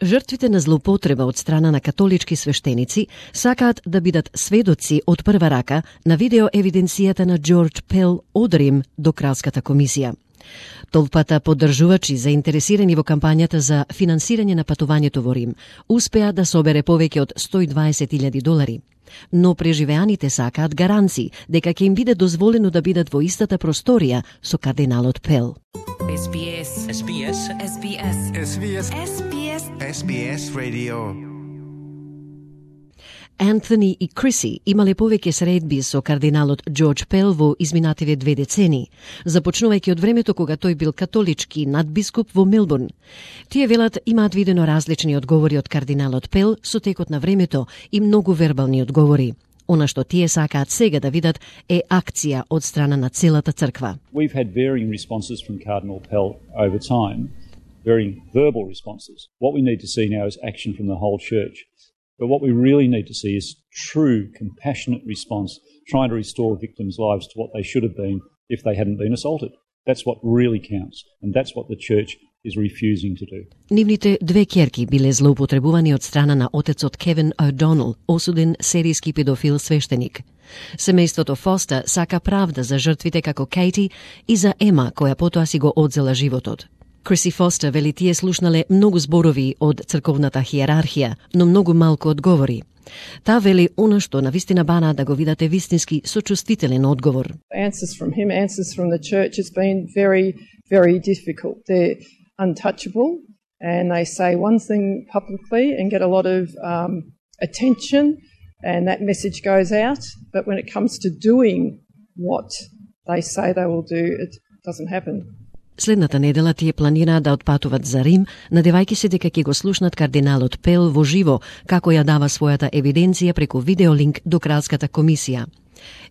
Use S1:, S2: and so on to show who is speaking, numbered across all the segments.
S1: Жртвите на злоупотреба од страна на католички свештеници сакаат да бидат сведоци од прва рака на видео евиденцијата на Џорџ Пел од Рим до Кралската комисија. Толпата поддржувачи заинтересирани во кампањата за финансирање на патувањето во Рим успеа да собере повеќе од $120,000, но преживеаните сакаат гаранции дека ќе им биде дозволено да бидат во истата просторија со кардиналот Пел.
S2: SBS SBS SBS SBS SBS SBS Radio.
S1: Антони и Криси имале повеќе средби со кардиналот Џорџ Пел во изминативе 2 децении, започнувајќи од времето кога тој бил католички надбискуп во Мелбурн. Тие велат имаат видено различни одговори од кардиналот Пел со текот на времето и многу вербални одговори. Она што тие сакаат сега да видат е акција од страна на целата црква.
S3: We've had varying responses from Cardinal Pell over time, varying verbal responses. What we need to see now is action from the whole church. But what we really need to see is true, compassionate response, trying to restore victims' lives to what they should have been if they hadn't been assaulted. That's what really counts, and that's what the church is refusing to do.
S1: Нивните две ќерки биле злоупотребувани од страна на отецот Кевин О'Донел, осуден серијски педофил свештеник. Семејството Фостер сака правда за жртвите како Кейти и за Ема, која потоа си го одзела животот. Криси Фостер вели тие слушнале многу зборови од црковната хиерархија, но многу малку одговори. Таа вели она што навистина бана да го видате вистински сочувствителен одговор.
S4: Answers from him, answers from the church has been very, very difficult. They're untouchable and they say one thing publicly and get a lot of attention and that message goes out. But when it comes to doing what they say they will do, it doesn't happen.
S1: Следната недела тие планираат да отпатуват за Рим, надевајќи се дека ќе го слушнат кардиналот Пел во живо, како ја дава својата евиденција преку видеолинк до Кралската комисија.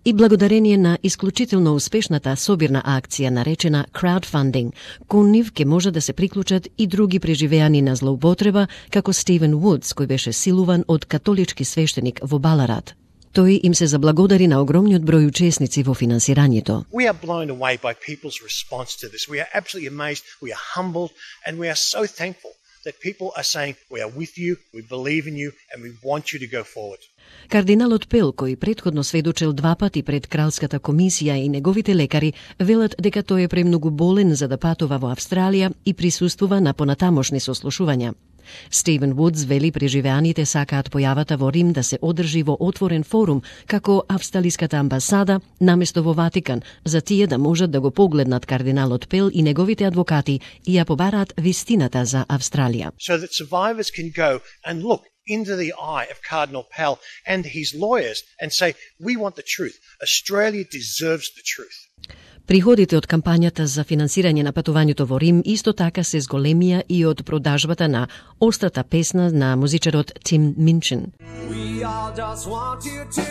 S1: И благодарение на исклучително успешната собирна акција наречена краудфандинг, кон нив ќе може да се приклучат и други преживеани на злоупотреба, како Стивен Вудс, кој беше силуван од католички свештеник во Баларат. Тој им се заблагодари на огромниот број учесници во финансирањето.
S5: We are blown away by people's response to this. We are absolutely amazed, we are humbled, and we are so thankful that people are saying, we are with you, we believe in you, and we want you to go forward.
S1: Кардиналот Пел, кој претходно сведочел 2 пати пред Кралската комисија и неговите лекари, велат дека тој е премногу болен за да патува во Австралија и присуствува на понатамошни сослушувања. Стивен Вудс вели преживеаните сакаат појавата во Рим да се одржи во отворен форум, како австралиската амбасада, наместо во Ватикан, за тие да можат да го погледнат кардиналот Пел и неговите адвокати и ја побараат вистината за Австралија.
S5: So that survivors can go and look into the eye of Cardinal Pell and his lawyers and say, we want the truth. Australia deserves the truth.
S1: Приходите од кампањата за финансирање на патувањето во Рим исто така се зголемија и од продажбата на острата песна на музичарот Тим Минчин. We all just want you to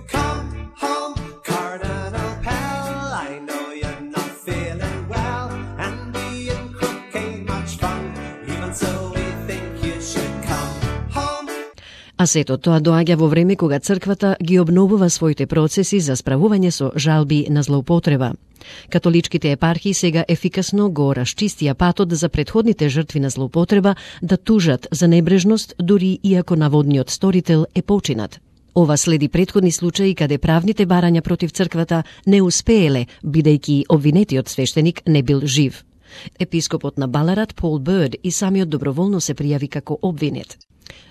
S1: come home, Cardinal Pell. I know you're not feeling well, and being crook ain't much fun, even so we think you should come home. А сето тоа доаѓа во време кога црквата ги обновува своите процеси за справување со жалби на злоупотреба. Католичките епархии сега ефикасно го расчистија патот за претходните жртви на злоупотреба да тужат за небрежност, дури иако наводниот сторител е починат. Ова следи претходни случаи каде правните барања против црквата не успееле, бидејќи обвинетиот свештеник не бил жив. Епископот на Баларат Пол Бърд и самиот доброволно се пријави како обвинет.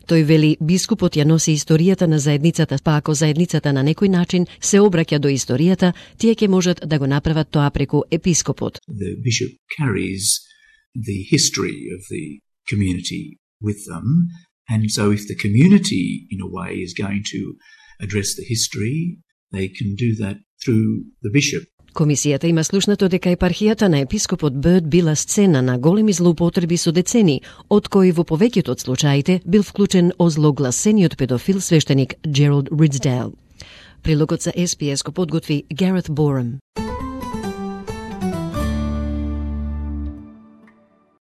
S1: Тој вели бискупот ја носи историјата на заедницата, па ако заедницата на некој начин се обраќа до историјата, тие ќе можат да го направат тоа преку епископот.
S6: The bishop carries the history of the community with them, and so if the community in a way is going to address the history, they can do that through the bishop.
S1: Комисијата има слушнато дека епархијата на епископот Бърд била сцена на големи злоупотреби со децени, од кои во повеќето од случаите бил вклучен озлогласениот педофил свештеник Джералд Ридсдейл. Прилогот за SBS го подготви Гарет Борем.